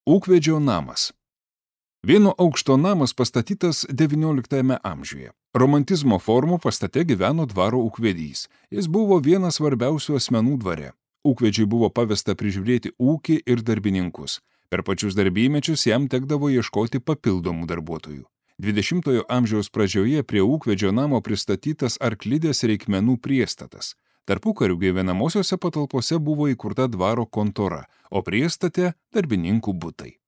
Ūkvedžio namas. Vieno aukšto namas pastatytas XIX amžiuje. Romantizmo formų pastate gyveno dvaro ūkvedys. Jis buvo vienas svarbiausių asmenų dvare. Ūkvedžiui buvo pavesta prižiūrėti ūkį ir darbininkus. Per pačius darbymečius jam tekdavo ieškoti papildomų darbuotojų. 20-ojo amžiaus pradžioje prie ūkvedžio namo pristatytas arklidės reikmenų priestatas. Tarpukariu gyvenamosiose patalpose buvo įkurta dvaro kontora, o priestate darbininkų butai.